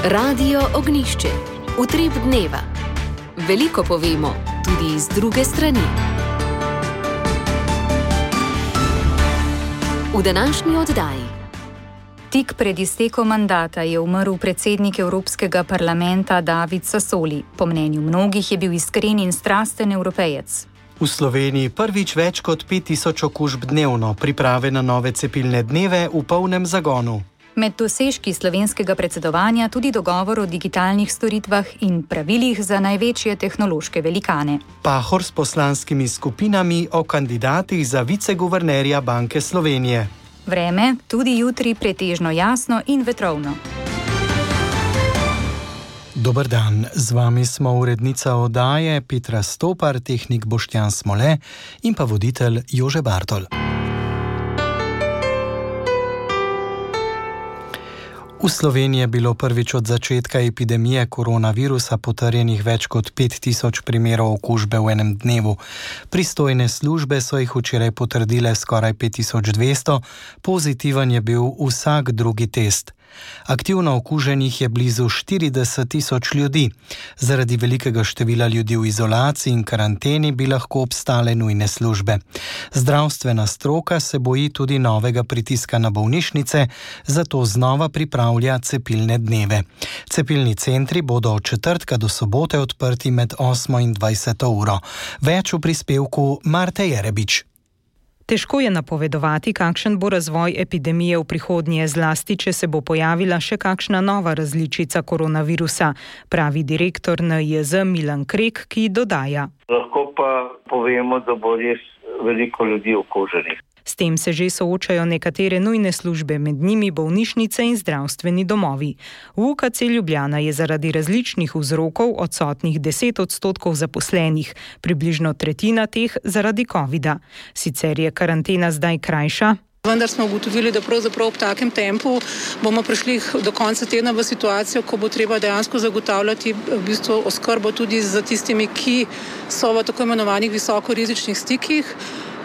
Radio Ognjišče. Utrip dneva. Veliko povemo, tudi iz druge strani. V današnji oddaji. Tik pred iztekom mandata je umrl predsednik Evropskega parlamenta David Sassoli. Po mnenju mnogih je bil iskren in strasten evropejec. V Sloveniji prvič več kot 5000 okužb dnevno, priprave na nove cepilne dneve v polnem zagonu. Med dosežki slovenskega predsedovanja tudi dogovor o digitalnih storitvah in pravilih za največje tehnološke velikane. Pahor s poslanskimi skupinami o kandidatih za viceguvernerja Banke Slovenije. Vreme tudi jutri pretežno jasno in vetrovno. Dober dan, z vami smo urednica oddaje Petra Stopar, tehnik Boštjan Smole in pa voditelj Jože Bartol. V Sloveniji je bilo prvič od začetka epidemije koronavirusa potrjenih več kot 5000 primerov okužbe v enem dnevu. Pristojne službe so jih včeraj potrdile skoraj 5200, pozitiven je bil vsak drugi test. Aktivno okuženih je blizu 40 000 ljudi. Zaradi velikega števila ljudi v izolaciji in karanteni bi lahko obstale nujne službe. Zdravstvena stroka se boji tudi novega pritiska na bolnišnice, zato znova pripravlja cepilne dneve. Cepilni centri bodo od četrtka do sobote odprti med 8 in 20 uro. Več v prispevku Marte Jerebič. Težko je napovedovati, kakšen bo razvoj epidemije v prihodnje, zlasti če se bo pojavila še kakšna nova različica koronavirusa, pravi direktor NIJZ Milan Krek, ki dodaja. Lahko pa povemo, da bo res veliko ljudi okuženih. S tem se že soočajo nekatere nujne službe, med njimi bolnišnice in zdravstveni domovi. V UKC Ljubljana je zaradi različnih vzrokov odsotnih 10% zaposlenih, približno tretjina teh zaradi covida. Sicer je karantena zdaj krajša. Vendar smo ugotovili, da pravzaprav ob takem tempu bomo prišli do konca tedna v situacijo, ko bo treba dejansko zagotavljati v bistvu oskrbo tudi za tistimi, ki so v tako imenovanih visokorizičnih stikih.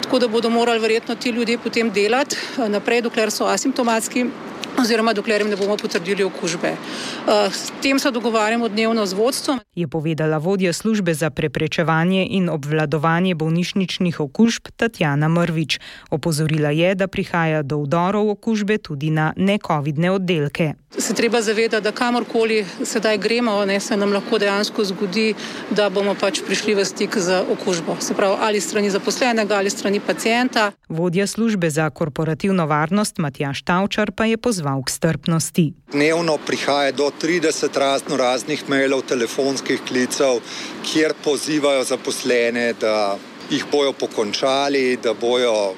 Tako da bodo morali verjetno ti ljudje potem delati naprej, dokler so asimptomatski oziroma dokler jim ne bomo potrdili okužbe. S tem se dogovarjamo dnevno z vodstvom. Je povedala vodja službe za preprečevanje in obvladovanje bolnišničnih okužb Tatjana Mrvič. Opozorila je, da prihaja do vdorov okužbe tudi na necovidne oddelke. Se treba zavedati, da kamorkoli sedaj gremo, se nam lahko dejansko zgodi, da bomo pač prišli v stik z okužbo. Se pravi, ali strani zaposlenega, ali strani pacienta. Vodja službe za korporativno varnost Matjaž Tavčar pa je pozval k strpnosti. Dnevno prihaja do 30 raznih mailov, telefonskih klicev, kjer pozivajo zaposlene, da jih bojo pokončali, da bojo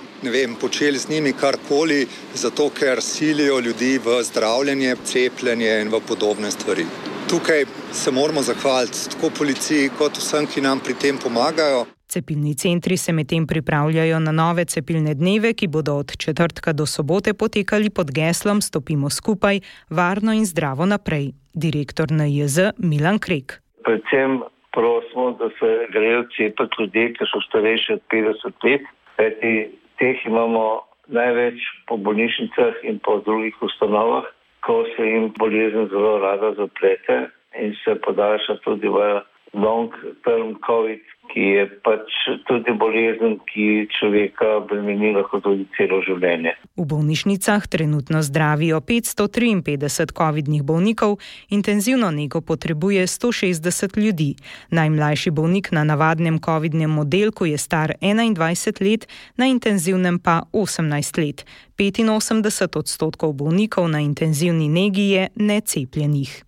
počeli z njimi karkoli, zato ker silijo ljudi v zdravljenje, cepljenje in v podobne stvari. Tukaj se moramo zahvaliti tako policiji kot vsem, ki nam pri tem pomagajo. Cepilni centri se medtem pripravljajo na nove cepilne dneve, ki bodo od četrtka do sobote potekali pod geslom Stopimo skupaj, varno in zdravo naprej. Direktor NIJZ Milan Krek. Predvsem prosimo, da se grejo cepiti ljudje, ki so starejši od 50 let, kajti teh imamo največ po bolnišnicah in po drugih ustanovah, ko se jim bolezen zelo rada zaplete in se podaljša tudi v long-term COVID, ki je pač tudi bolezen, ki človeka bremeni lahko tudi celo življenje. V bolnišnicah trenutno zdravijo 553 covidnih bolnikov, intenzivno nego potrebuje 160 ljudi. Najmlajši bolnik na navadnem covidnem oddelku je star 21 let, na intenzivnem pa 18 let. 85% bolnikov na intenzivni negi je necepljenih.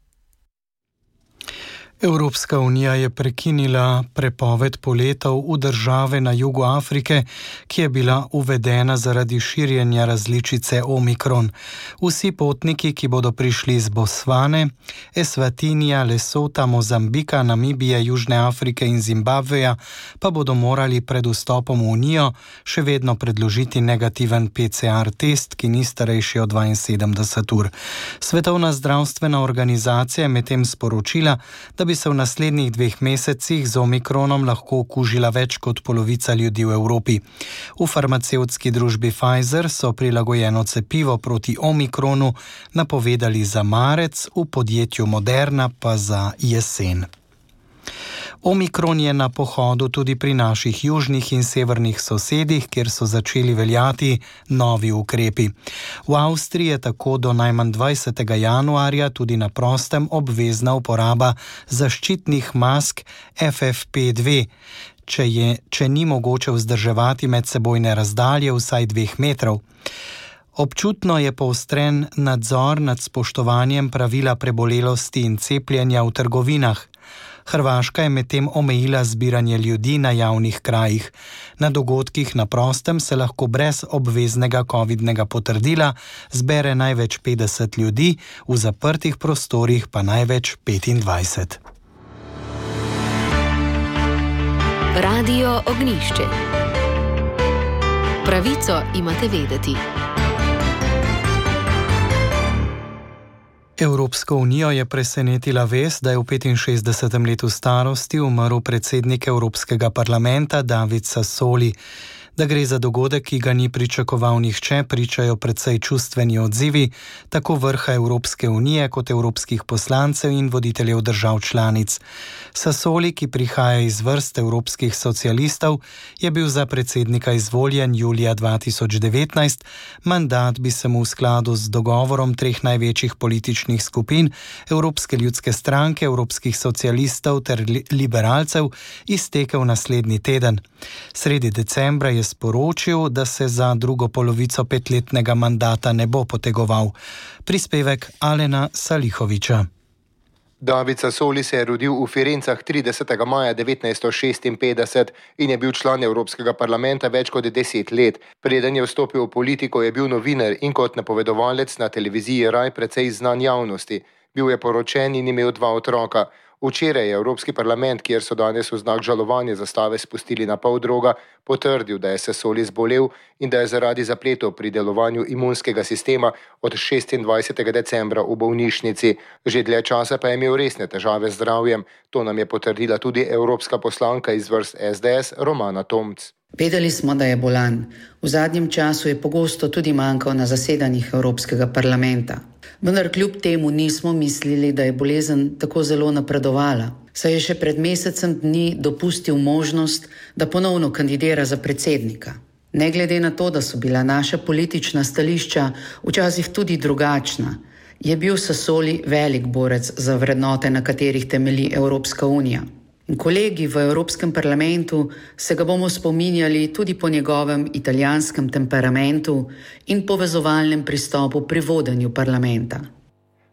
Evropska unija je prekinila prepoved poletov v države na jugu Afrike, ki je bila uvedena zaradi širjenja različice Omikron. Vsi potniki, ki bodo prišli iz Botsvane, Eswatinija, Lesota, Mozambika, Namibije, Južne Afrike in Zimbabveja, pa bodo morali pred vstopom v Unijo še vedno predložiti negativen PCR test, ki ni starejši od 72 ur. Svetovna zdravstvena organizacija je medtem sporočila, da bi se v naslednjih 2 mesecih z omikronom lahko okužila več kot polovica ljudi v Evropi. V farmacevtski družbi Pfizer so prilagojeno cepivo proti omikronu napovedali za marec, v podjetju Moderna pa za jesen. Omikron je na pohodu tudi pri naših južnih in severnih sosedih, kjer so začeli veljati novi ukrepi. V Avstriji je tako do najmanj 20. januarja tudi na prostem obvezna uporaba zaščitnih mask FFP2, če ni mogoče vzdrževati medsebojne razdalje vsaj 2 metrov. Občutno je poostren nadzor nad spoštovanjem pravila prebolelosti in cepljenja v trgovinah. Hrvaška je medtem omejila zbiranje ljudi na javnih krajih. Na dogodkih na prostem se lahko brez obveznega covidnega potrdila zbere največ 50 ljudi, v zaprtih prostorih pa največ 25. Radio Ognjišče. Pravico imate vedeti. Evropsko unijo je presenetila vest, da je v 65. letu starosti umrl predsednik Evropskega parlamenta David Sassoli. Da gre za dogodek, ki ga ni pričakoval nihče, pričajo precej čustveni odzivi tako vrha Evropske unije kot evropskih poslancev in voditeljev držav članic. Sassoli, ki prihaja iz vrst evropskih socialistov, je bil za predsednika izvoljen julija 2019. Mandat bi se mu v skladu z dogovorom 3 največjih političnih skupin, Evropske ljudske stranke, evropskih socialistov ter liberalcev, iztekel naslednji teden. Sredi decembra je sporočil, da se za drugo polovico 5-letnega mandata ne bo potegoval. Prispevek Alena Salihoviča. David Sassoli se je rodil v Firencah 30. maja 1956 in je bil član Evropskega parlamenta več kot 10 let. Preden je vstopil v politiko, je bil novinar in kot napovedovalec na televiziji Rai precej znan javnosti. Bil je poročen in imel 2 otroka. Včeraj je Evropski parlament, kjer so danes v znak žalovanja zastave spustili na pol droga, potrdil, da je Sassoli zbolel in da je zaradi zapletov pri delovanju imunskega sistema od 26. decembra v bolnišnici. Že dlje časa pa je imel resne težave z zdravjem. To nam je potrdila tudi evropska poslanka iz vrst SDS Romana Tomc. Vedeli smo, da je bolan. V zadnjem času je pogosto tudi manjkal na zasedanjih Evropskega parlamenta. Vendar kljub temu nismo mislili, da je bolezen tako zelo napredovala. Saj je še pred mesecem dni dopustil možnost, da ponovno kandidira za predsednika. Ne glede na to, da so bila naša politična stališča včasih tudi drugačna, je bil Sassoli velik borec za vrednote, na katerih temelji Evropska unija. Kolegi v Evropskem parlamentu se ga bomo spominjali tudi po njegovem italijanskem temperamentu in povezovalnem pristopu pri vodenju parlamenta.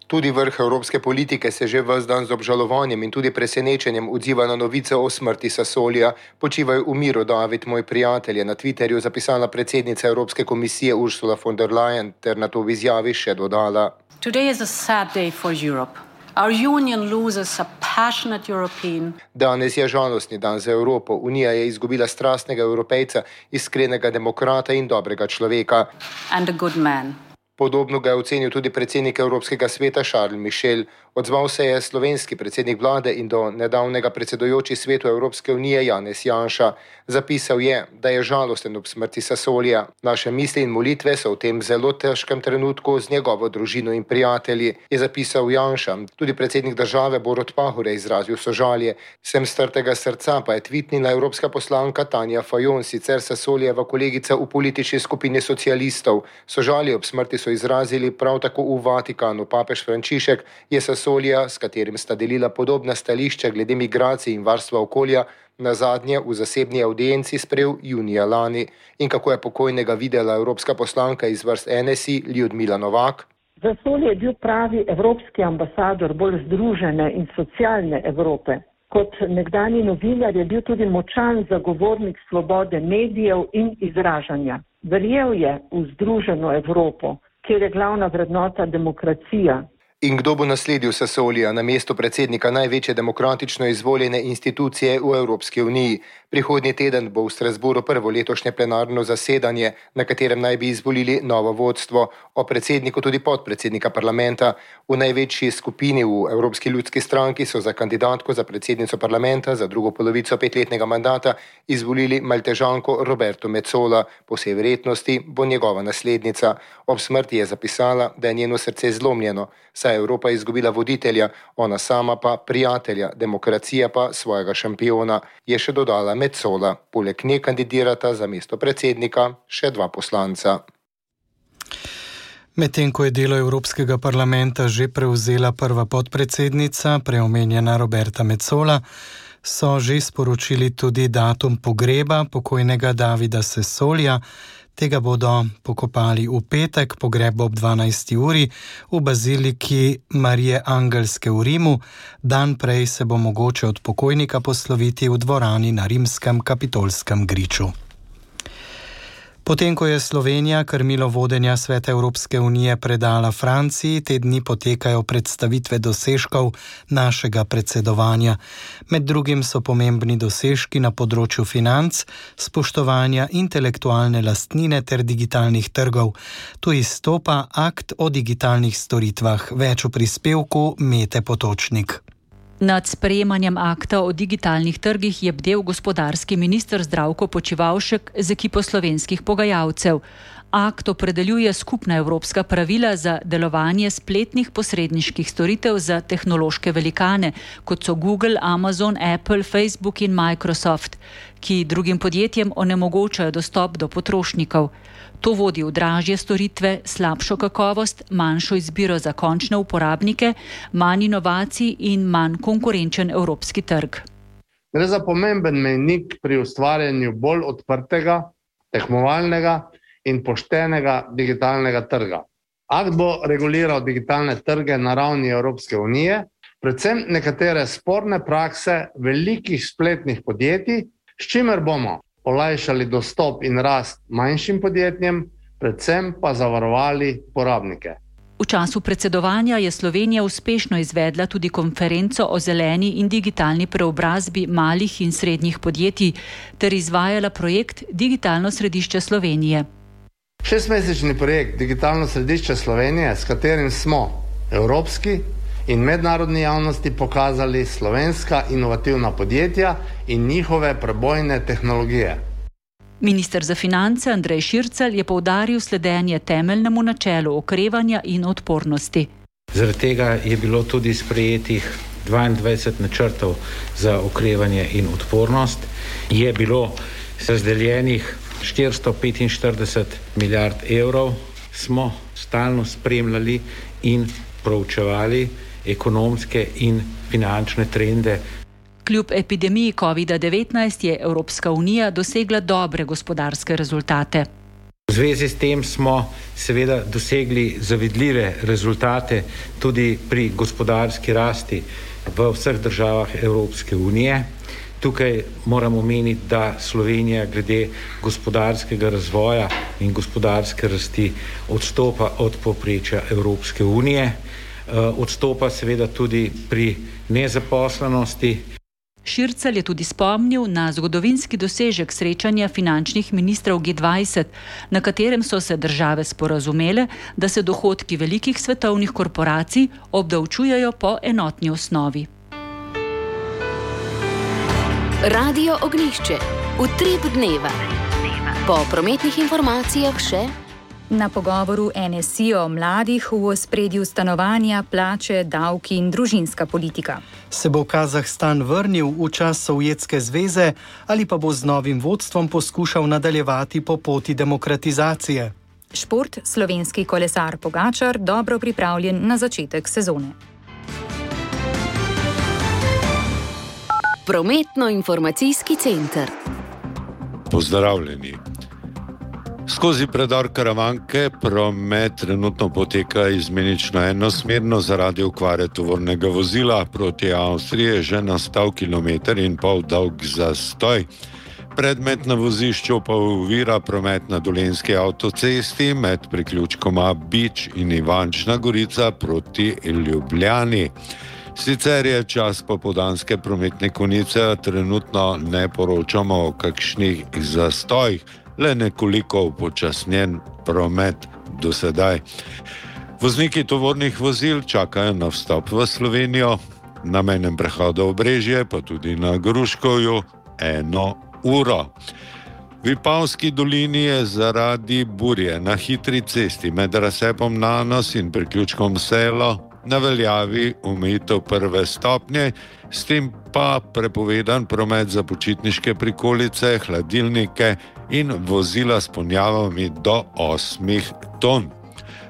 Tudi vrh evropske politike se že ves dan z obžalovanjem in tudi presenečenjem odziva na novice o smrti Sassolija. Počivaj v miru, David, moj prijatelj, je na Twitterju zapisala predsednica Evropske komisije Ursula von der Leyen ter na to v izjavi še dodala. Today is a sad day for Europe. Our union loses a passionate European. Danes je žalostni dan za Evropo. Unija je izgubila strastnega Evropejca, iskrenega demokrata in dobrega človeka. And a good man. Podobno ga je ocenil tudi predsednik Evropskega sveta Charles Michel. Odzval se je slovenski predsednik vlade in do nedavnega predsedujoči svetu Evropske unije Janez Janša. Zapisal je, da je žalosten ob smrti Sassolija. Naše misli in molitve so v tem zelo težkem trenutku z njegovo družino in prijatelji, je zapisal Janša. Tudi predsednik države Borut Pahor je izrazil sožalje. Sem strtega srca pa je tvitnila evropska poslanka Tanja Fajon, sicer Sassolijeva kolegica v politični skupini socialistov. Sožalje ob smrti so izrazili prav tako v Vatikanu. Papež Frančišek je Sassolija, s katerim sta delila podobna stališča glede migracij in varstva okolja, nazadnje v zasebni audienci sprejel junija lani. In kako je pokojnega videla evropska poslanka iz vrst NSI Ljudmila Novak? Sassoli je bil pravi evropski ambasador bolj združene in socialne Evrope. Kot nekdani novinar je bil tudi močan zagovornik svobode medijev in izražanja. Verjel je v združeno Evropo, kjer je glavna vrednota demokracija. In kdo bo nasledil Sassolija na mesto predsednika največje demokratično izvoljene institucije v Evropski uniji? Prihodnji teden bo v Strasbourgu prvo letošnje plenarno zasedanje, na katerem naj bi izvolili novo vodstvo, o predsedniku tudi podpredsednika parlamenta. V največji skupini v Evropski ljudski stranki so za kandidatko za predsednico parlamenta za drugo polovico 5-letnega mandata izvolili Maltežanko Roberto Metsola. Po vsej verjetnosti bo njegova naslednica. Ob smrti je zapisala, da je njeno srce zlomljeno, saj je Evropa izgubila voditelja, ona sama pa prijatelja, demokracija pa svojega šampiona, je še dodala Metsola. Poleg nje kandidirata za mesto predsednika še 2 poslanca. Medtem ko je delo Evropskega parlamenta že prevzela prva podpredsednica, preomenjena Roberta Metsola, so že sporočili tudi datum pogreba pokojnega Davida Sassolija. Tega bodo pokopali v petek, pogreb ob 12. uri v baziliki Marije Angelske v Rimu. Dan prej se bo mogoče od pokojnika posloviti v dvorani na rimskem kapitolskem griču. Potem, ko je Slovenija krmilo vodenja Sveta Evropske unije predala Franciji, te dni potekajo predstavitve dosežkov našega predsedovanja. Med drugim so pomembni dosežki na področju financ, spoštovanja intelektualne lastnine ter digitalnih trgov. Tu izstopa akt o digitalnih storitvah. Več v prispevku Mete Potočnik. Nad sprejemanjem akta o digitalnih trgih je bdel gospodarski minister Zdravko Počivalšek z ekipo slovenskih pogajalcev. Akt opredeljuje skupna evropska pravila za delovanje spletnih posredniških storitev za tehnološke velikane, kot so Google, Amazon, Apple, Facebook in Microsoft, ki drugim podjetjem onemogočajo dostop do potrošnikov. To vodi v dražje storitve, slabšo kakovost, manjšo izbiro za končne uporabnike, manj inovacij in manj konkurenčen evropski trg. Gre za pomemben mejnik pri ustvarjanju bolj odprtega, tekmovalnega in poštenega digitalnega trga. Akt bo reguliral digitalne trge na ravni Evropske unije, predvsem nekatere sporne prakse velikih spletnih podjetij, s čimer bomo olajšali dostop in rast manjšim podjetjem, predvsem pa zavarovali porabnike. V času predsedovanja je Slovenija uspešno izvedla tudi konferenco o zeleni in digitalni preobrazbi malih in srednjih podjetij ter izvajala projekt Digitalno središče Slovenije. 6-mesečni projekt Digitalno središče Slovenije, s katerim smo evropski in mednarodni javnosti pokazali slovenska inovativna podjetja in njihove prebojne tehnologije. Minister za finance Andrej Šircelj je poudaril sledenje temeljnemu načelu okrevanja in odpornosti. Zaradi tega je bilo tudi sprejetih 22 načrtov za okrevanje in odpornost. Je bilo razdeljenih 445 milijard evrov. Smo stalno spremljali in proučevali ekonomske in finančne trende. Kljub epidemiji COVID-19 je Evropska unija dosegla dobre gospodarske rezultate. V zvezi s tem smo seveda dosegli zavidljive rezultate tudi pri gospodarski rasti v vseh državah Evropske unije. Tukaj moramo omeniti, da Slovenija glede gospodarskega razvoja in gospodarske rasti odstopa od povprečja Evropske unije. Odstopa seveda tudi pri nezaposlenosti. Šircelj je tudi spomnil na zgodovinski dosežek srečanja finančnih ministrov G20, na katerem so se države sporazumele, da se dohodki velikih svetovnih korporacij obdavčujejo po enotni osnovi. Radio Ognjišče. Utrip dneva. Po prometnih informacijah še na pogovoru NSI o mladih v ospredju stanovanja, plače, davki in družinska politika. Se bo Kazahstan vrnil v čas Sovjetske zveze ali pa bo z novim vodstvom poskušal nadaljevati po poti demokratizacije? Šport, slovenski kolesar Pogačar dobro pripravljen na začetek sezone. Prometno-informacijski center. Pozdravljeni. Skozi predor Karavanke promet trenutno poteka izmenično enosmerno zaradi okvare tovornega vozila. Proti Avstriji je že nastal 1,5 km dolg zastoj. Predmet na vozišču pa ovira promet na Dolenjski avtocesti med priključkoma Bič in Ivančna Gorica proti Ljubljani. Sicer je čas popoldanske prometne konice, trenutno ne poročamo o kakšnih zastojih, le nekoliko upočasnjen promet do sedaj. Vozniki tovornih vozil čakajo na vstop v Slovenijo, na mejnem prehodu Obrežje, pa tudi na Gruškovju 1 uro. V Vipavski dolini je zaradi burje na hitri cesti med razcepom Nanos in priključkom Selo na veljavi omejitev 1. stopnje, s tem pa prepovedan promet za počitniške prikolice, hladilnike in vozila s ponjavami do 8 ton.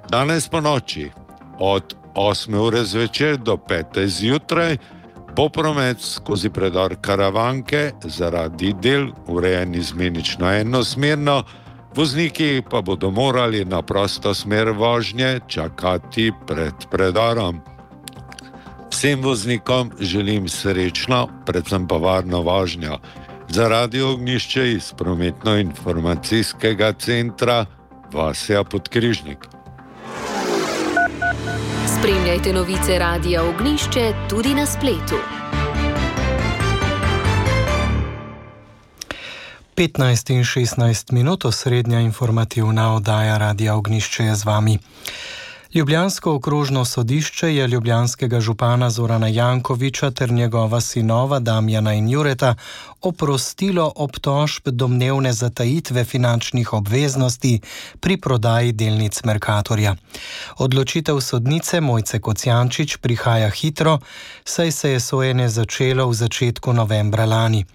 Danes po noči od 8 ure zvečer do 5 zjutraj bo promet skozi predor Karavanke zaradi del urejen izmenično enosmerno, vozniki pa bodo morali na prosto smer vožnje čakati pred predorom. Vsem voznikom želim srečno, predvsem pa varno vožnjo. Za Radio Ognjišče iz prometno-informacijskega centra Vasja Podkrižnik. Spremljajte novice Radia Ognjišče tudi na spletu. 15 in 16 minut, osrednja informativna oddaja Radia Ognjišče je z vami. Ljubljansko okrožno sodišče je ljubljanskega župana Zorana Jankovića ter njegova sinova Damjana in Jureta oprostilo obtožb domnevne zatajitve finančnih obveznosti pri prodaji delnic Mercatorja. Odločitev sodnice Mojce Kocijančič prihaja hitro, saj se je sojenje začelo v začetku novembra lani.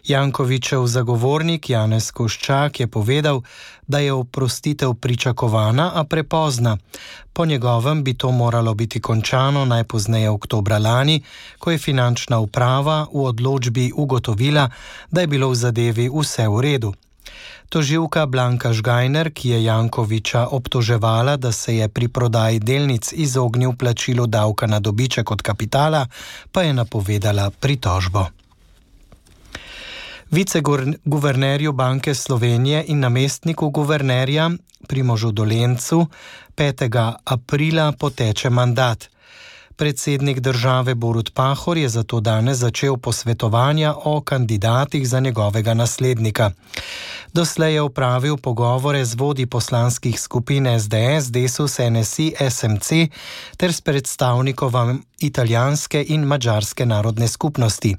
Jankovićev zagovornik Janez Koščak je povedal, da je oprostitev pričakovana, a prepozna. Po njegovem bi to moralo biti končano najpozneje oktobra lani, ko je finančna uprava v odločbi ugotovila, da je bilo v zadevi vse v redu. Tožilka Blanka Žgajner, ki je Jankovića obtoževala, da se je pri prodaji delnic izognil plačilu davka na dobiček od kapitala, pa je napovedala pritožbo. Viceguvernerju Banke Slovenije in namestniku guvernerja Primožu Dolencu 5. aprila poteče mandat. Predsednik države Borut Pahor je zato danes začel posvetovanja o kandidatih za njegovega naslednika. Doslej je opravil pogovore z vodji poslanskih skupin SDS, Desus, NSI, SMC ter s predstavnikom italijanske in madžarske narodne skupnosti.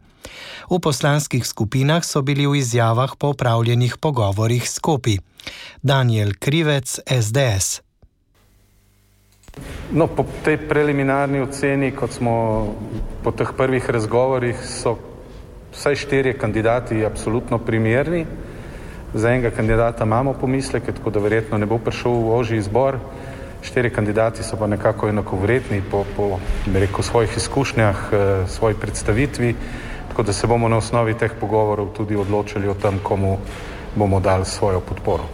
V poslanskih skupinah so bili v izjavah po opravljenih pogovorih skopi. Daniel Krivec, SDS. No, po tej preliminarni oceni, kot smo po teh prvih razgovorih, so vsaj 4 kandidati absolutno primerni. Za enega kandidata imamo pomisleke, tako da verjetno ne bo prišel v ožji izbor. 4 kandidati so pa nekako enakovredni po svojih izkušnjah, svoji predstavitvi, tako da se bomo na osnovi teh pogovorov tudi odločili o tem, komu bomo dali svojo podporo.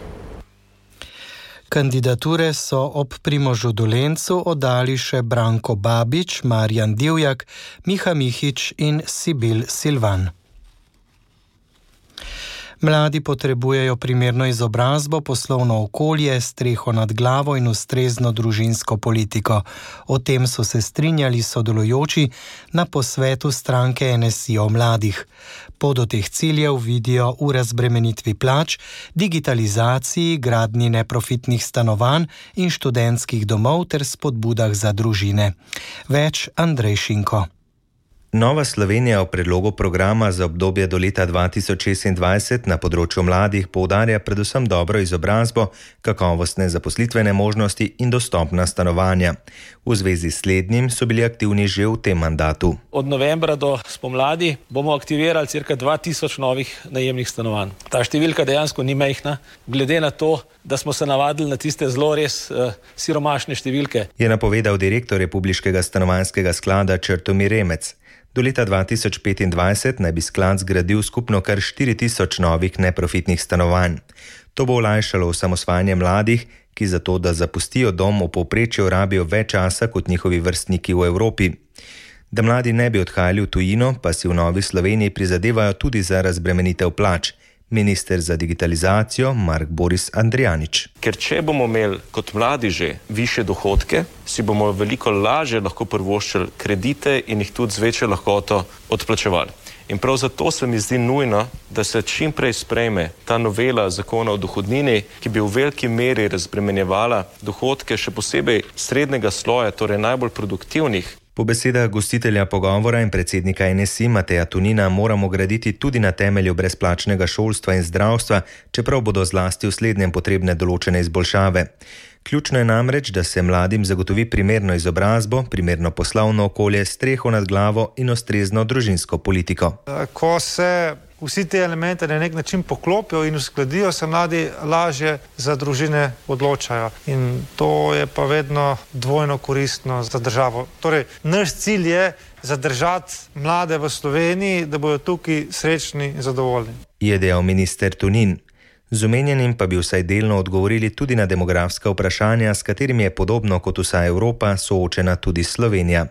Kandidature so ob Primožu Dolencu oddali še Branko Babič, Marjan Divjak, Miha Mihič in Sibil Silvan. Mladi potrebujejo primerno izobrazbo, poslovno okolje, streho nad glavo in ustrezno družinsko politiko. O tem so se strinjali sodelujoči na posvetu stranke NSI o mladih. Pot do teh ciljev vidijo v razbremenitvi plač, digitalizaciji, gradnji neprofitnih stanovanj in študentskih domov ter spodbudah za družine. Več Andrej Šinko. Nova Slovenija v predlogu programa za obdobje do leta 2026 na področju mladih poudarja predvsem dobro izobrazbo, kakovostne zaposlitvene možnosti in dostopna stanovanja. V zvezi s slednjim so bili aktivni že v tem mandatu. Od novembra do spomladi bomo aktivirali cirka 2000 novih najemnih stanovanj. Ta številka dejansko ni majhna, glede na to, da smo se navadili na tiste zelo res siromašne številke. Je napovedal direktor Republiškega stanovanjskega sklada Črtomir Remec. Do leta 2025 naj bi sklad zgradil skupno kar 4000 novih neprofitnih stanovanj. To bo olajšalo osamosvajanje mladih, ki zato, da zapustijo dom, v povprečju rabijo več časa kot njihovi vrstniki v Evropi. Da mladi ne bi odhajali v tujino, pa si v Novi Sloveniji prizadevajo tudi za razbremenitev plač. Minister za digitalizacijo Mark Boris Andrijanič. Ker če bomo imeli kot mladi že više dohodke, si bomo veliko lažje lahko privoščili kredite in jih tudi z večjo lahkoto odplačevali. In prav zato se mi zdi nujno, da se čim prej sprejme ta novela zakona o dohodnini, ki bi v veliki meri razbremenjevala dohodke še posebej srednjega sloja, torej najbolj produktivnih. Po besedah gostitelja pogovora in predsednika NSI Mateja Tonina moramo graditi tudi na temelju brezplačnega šolstva in zdravstva, čeprav bodo zlasti v slednjem potrebne določene izboljšave. Ključno je namreč, da se mladim zagotovi primerno izobrazbo, primerno poslovno okolje, streho nad glavo in ustrezno družinsko politiko. Ko se vsi te elemente na nek način poklopijo in uskladijo, se mladi lažje za družine odločajo. In to je pa vedno dvojno koristno za državo. Torej, naš cilj je zadržati mlade v Sloveniji, da bodo tukaj srečni in zadovoljni. Je dejal minister Tonin. Z omenjenim pa bi vsaj delno odgovorili tudi na demografska vprašanja, s katerimi je podobno kot vsa Evropa soočena tudi Slovenija.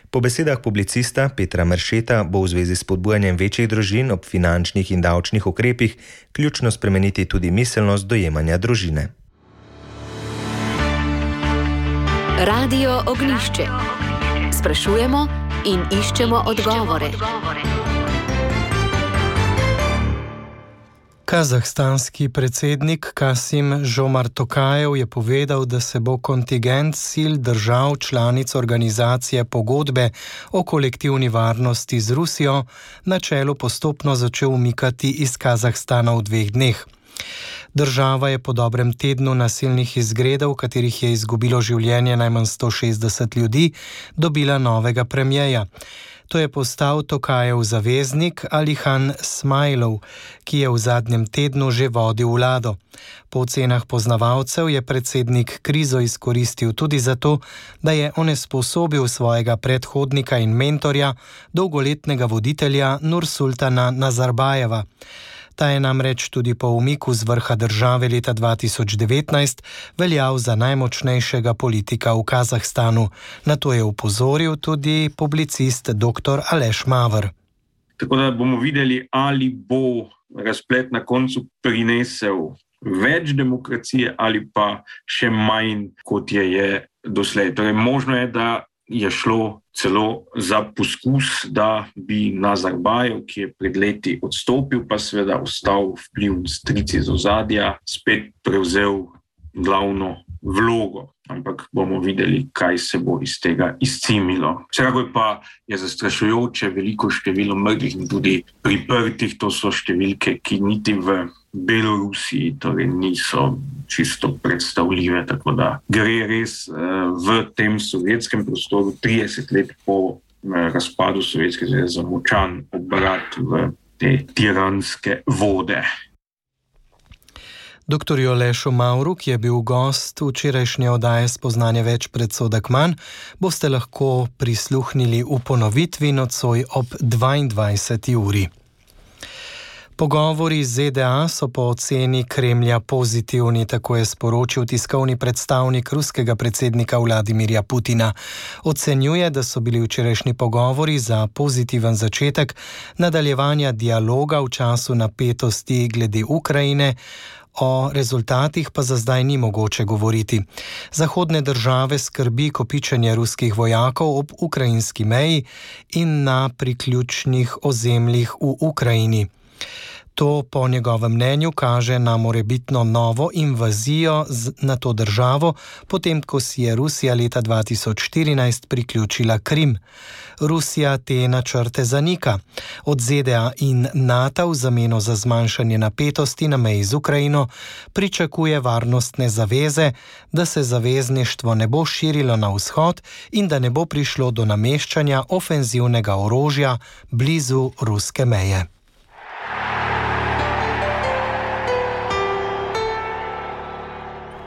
Po besedah publicista Petra Meršeta bo v zvezi s spodbujanjem večjih družin ob finančnih in davčnih ukrepih ključno spremeniti tudi miselnost dojemanja družine. Radio Ognjišče. Sprašujemo in iščemo odgovore. Kazahstanski predsednik Kasim Žomart Tokajev je povedal, da se bo kontingent sil držav članic organizacije pogodbe o kolektivni varnosti z Rusijo na čelu postopno začel umikati iz Kazahstana v 2 dneh. Država je po dobrem tednu nasilnih izgredov, v katerih je izgubilo življenje najmanj 160 ljudi, dobila novega premierja. To je postal Tokajev zaveznik Alihan Smajlov, ki je v zadnjem tednu že vodil vlado. Po ocenah poznavalcev je predsednik krizo izkoristil tudi zato, da je onesposobil svojega predhodnika in mentorja, dolgoletnega voditelja Nursultana Nazarbajeva. Ta je namreč tudi po umiku z vrha države leta 2019 veljal za najmočnejšega politika v Kazahstanu. Na to je upozoril tudi publicist dr. Aleš Mavr. Tako da bomo videli, ali bo razplet na koncu prinesel več demokracije ali pa še manj, kot je doslej. Torej, možno je, da je šlo celo za poskus, da bi Nazarbajev, ki je pred leti odstopil, pa seveda ostal vpliv stric iz ozadja, spet prevzel glavno vlogo. Ampak bomo videli, kaj se bo iz tega izcimilo. Vsekakor pa je zastrašujoče veliko število mrtvih in tudi priprtih. To so številke, ki niti v Belorusiji torej niso čisto predstavljive, tako da gre res v tem sovjetskem prostoru 30 let po razpadu Sovjetske zveze za močan obrat v te tiranske vode. Dr. Alešu Mavru, ki je bil gost včerajšnje oddaje Spoznanje več predsodek manj, boste lahko prisluhnili v ponovitvi nocoj ob 22. uri. Pogovori z ZDA so po oceni Kremlja pozitivni, tako je sporočil tiskovni predstavnik ruskega predsednika Vladimirja Putina. Ocenjuje, da so bili včerajšnji pogovori za pozitiven začetek nadaljevanja dialoga v času napetosti glede Ukrajine. O rezultatih pa za zdaj ni mogoče govoriti. Zahodne države skrbi kopičenje ruskih vojakov ob ukrajinski meji in na priključnih ozemljih v Ukrajini. To po njegovem mnenju kaže na morebitno novo invazijo na to državo, potem ko si je Rusija leta 2014 priključila Krim. Rusija te načrte zanika. Od ZDA in NATO v zameno za zmanjšanje napetosti na meji z Ukrajino pričakuje varnostne zaveze, da se zavezništvo ne bo širilo na vzhod in da ne bo prišlo do nameščanja ofenzivnega orožja blizu ruske meje.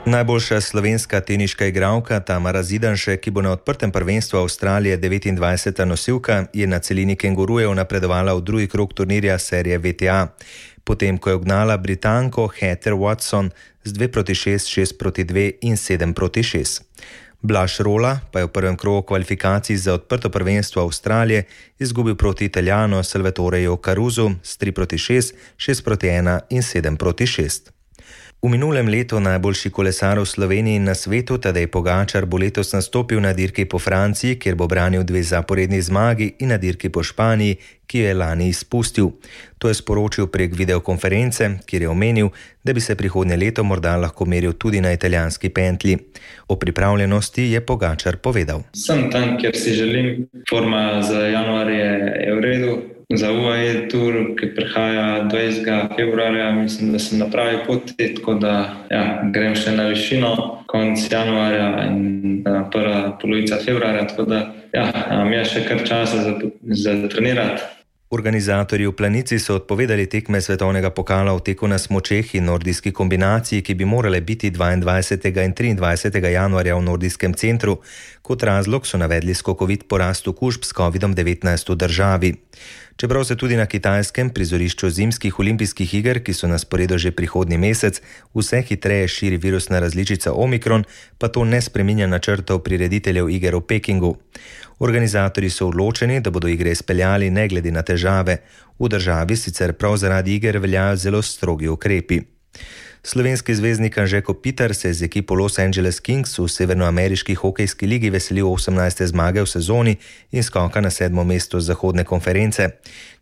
Najboljša slovenska teniška igralka Tamara Zidanšek, ki bo na odprtem prvenstvu Avstralije 29. nosilka, je na celini kengurujev napredovala v drugi krog turnirja serije WTA, potem ko je ugnala Britanko Heather Watson z 2-6, 6-2 in 7-6. Blaž Rola pa je v prvem krogu kvalifikacij za odprto prvenstvo Avstralije izgubil proti Italijanu Salvatoreju Caruzu s 3-6, 6-1 in 7-6. V minulem letu najboljši kolesar v Sloveniji in na svetu, Tadej Pogačar, bo letos nastopil na dirki po Franciji, kjer bo branil 2 zaporedni zmagi, in na dirki po Španiji, ki jo je lani izpustil. To je sporočil prek videokonference, kjer je omenil, da bi se prihodnje leto morda lahko meril tudi na italijanski pentlji. O pripravljenosti je Pogačar povedal. Sem tam, kjer si želim. Forma za januar je v redu. Za UAE Tour, ki prihaja 20. februarja, mislim, da sem na pravi poti, tako da grem še na višino konec januarja in prva polovica februarja, tako da je še kar časa za trenirati. Organizatorji v Planici so odpovedali tekme svetovnega pokala v teku na smučeh in nordijski kombinaciji, ki bi morale biti 22. in 23. januarja v nordijskem centru. Kot razlog so navedli skokovit porast okužb s COVID-19 v državi. Čeprav se tudi na kitajskem prizorišču zimskih olimpijskih iger, ki so na sporedu že prihodnji mesec, vse hitreje širi virusna različica Omikron, pa to ne spreminja načrtov prirediteljev iger v Pekingu. Organizatorji so odločeni, da bodo igre izpeljali ne glede na težave. V državi sicer prav zaradi iger veljajo zelo strogi ukrepi. Slovenski zvezdnik Anže Kopitar se je z ekipo Los Angeles Kings v severnoameriški hokejski ligi veselil 18. zmage v sezoni in skoka na 7. mesto z zahodne konference.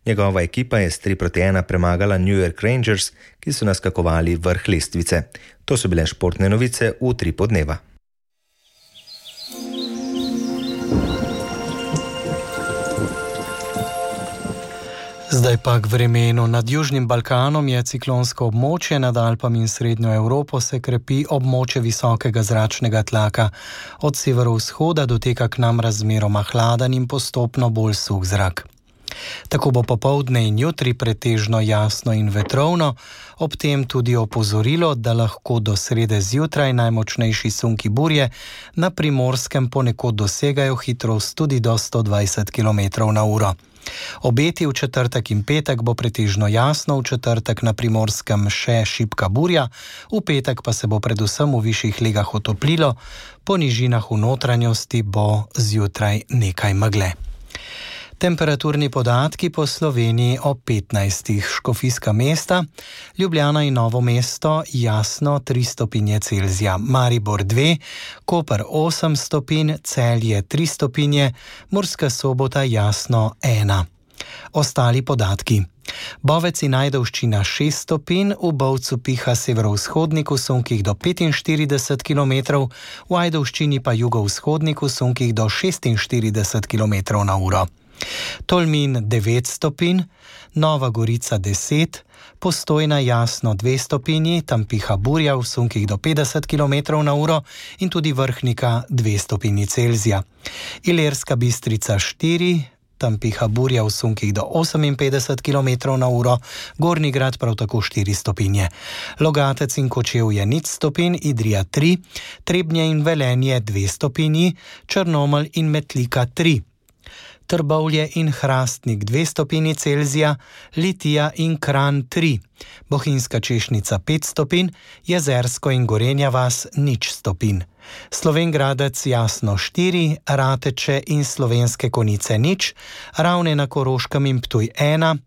Njegova ekipa je s 3-1 premagala New York Rangers, ki so naskakovali vrh lestvice. To so bile športne novice v Utripu dneva. Zdaj pa k vremenu. Nad Južnim Balkanom je ciklonsko območje, nad Alpami in Srednjo Evropo se krepi območje visokega zračnega tlaka. Od severovzhoda doteka k nam razmeroma hladen in postopno bolj suh zrak. Tako bo popoldne in jutri pretežno jasno in vetrovno, ob tem tudi opozorilo, da lahko do srede zjutraj najmočnejši sunki burje na Primorskem ponekod dosegajo hitrost tudi do 120 km/h. Obeti v četrtek in petek bo pretežno jasno, v četrtek na Primorskem še šibka burja, v petek pa se bo predvsem v višjih legah otoplilo, po nižinah v notranjosti bo zjutraj nekaj megle. Temperaturni podatki po Sloveniji o 15. Škofijska Mesta, Ljubljana in Novo mesto jasno 3 stopinje Celzija, Maribor 2, Koper 8 stopinj, Celje 3 stopinje, Murska Sobota jasno 1. Ostali podatki. Bovec in Ajdovščina 6 stopinj, v Bovcu piha severovzhodnik v sunkih do 45 km, v Ajdovščini pa jugovzhodnik v sunkih do 46 km/h. Tolmin 9 stopinj, Nova Gorica 10, Postojna jasno 2 stopinji, tam piha burja v sunkih do 50 km/h in tudi Vrhnika 2 stopinji Celzija. Ilirska Bistrica 4, tam piha burja v sunkih do 58 km/h, Gornji Grad prav tako 4 stopinje. Logatec in Kočevje 0 stopinj, Idrija 3, Trebnje in Velenje 2 stopinji, Črnomelj in Metlika 3. Trbovlje in Hrastnik 2 stopinji Celzija, Litija in Kranj 3, Bohinjska Češnica 5 stopinj, Jezersko in Gorenja vas 0 stopinj. Slovenj Gradec jasno 4, Rateče in Slovenske Konjice 0, Ravne na Koroškem in Ptuj 1,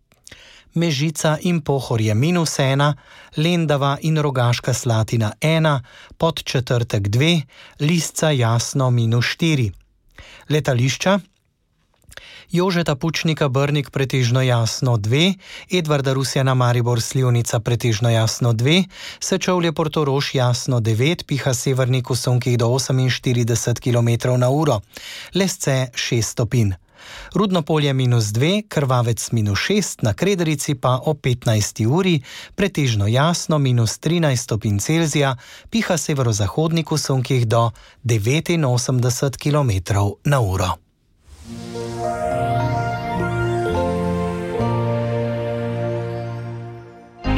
Mežica in Pohorje -1, Lendava in Rogaška Slatina 1, Podčetrtek 2, Lisca jasno -4. Letališča: Jožeta Pučnika Brnik pretežno jasno 2, Edvarda Rusjana Maribor Slivnica pretežno jasno 2, Sečovlje Portorož jasno 9, piha severnik v sunkih do 48 km/h, Lesce 6 stopinj. Rudnopolje -2, Krvavec -6, na Krederici pa o 15. uri pretežno jasno -13 stopinj Celzija, piha severozahodnik v sunkih do 89 km/h.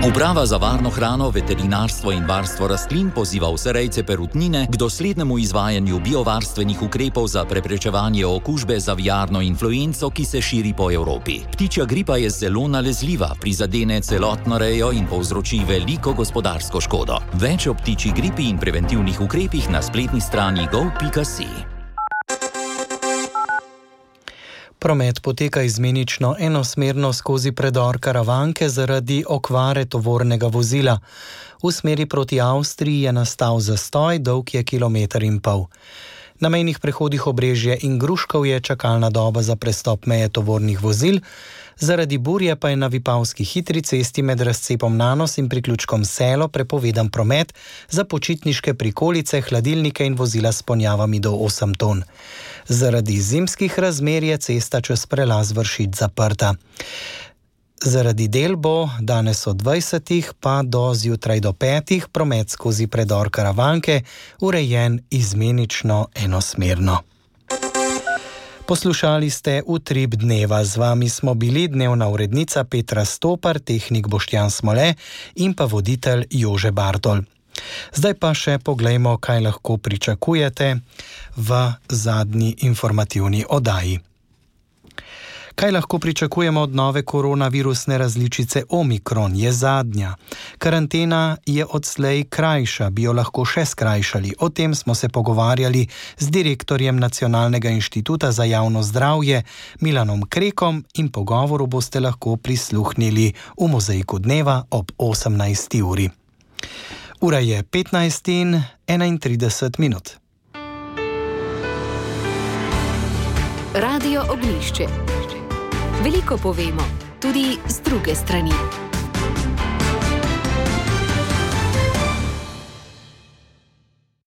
Uprava za varno hrano, veterinarstvo in varstvo rastlin poziva vse rejce perutnine k doslednemu izvajanju biovarstvenih ukrepov za preprečevanje okužbe z aviarno influenco, ki se širi po Evropi. Ptičja gripa je zelo nalezljiva, prizadene celotno rejo in povzroči veliko gospodarsko škodo. Več o ptičji gripi in preventivnih ukrepih na spletni strani gov.si. Promet poteka izmenično enosmerno skozi predor Karavanke zaradi okvare tovornega vozila. V smeri proti Avstriji je nastal zastoj, dolg je 1,5 kilometra. Na mejnih prehodih Obrežje in Gruškov je čakalna doba za prestop meje tovornih vozil, zaradi burje pa je na Vipavski hitri cesti med razcepom Nanos in priključkom Selo prepovedan promet za počitniške prikolice, hladilnike in vozila s ponjavami do 8 ton. Zaradi zimskih razmer je cesta čez prelaz Vršič zaprta. Zaradi del bo danes od 20 pa do zjutraj do 5 promet skozi predor Karavanke urejen izmenično enosmerno. Poslušali ste Utrip dneva. Z vami smo bili dnevna urednica Petra Stopar, tehnik Boštjan Smole in pa voditelj Jože Bartol. Zdaj pa še poglejmo, kaj lahko pričakujete v zadnji informativni oddaji. Kaj lahko pričakujemo od nove koronavirusne različice Omikron? Je zadnja. Karantena je odslej krajša, bi jo lahko še skrajšali. O tem smo se pogovarjali z direktorjem Nacionalnega inštituta za javno zdravje Milanom Krekom in pogovoru boste lahko prisluhnili v Mozaiku dneva ob 18. uri. Ura je 15:31. Radio Ognjišče. Veliko povemo, tudi z druge strani.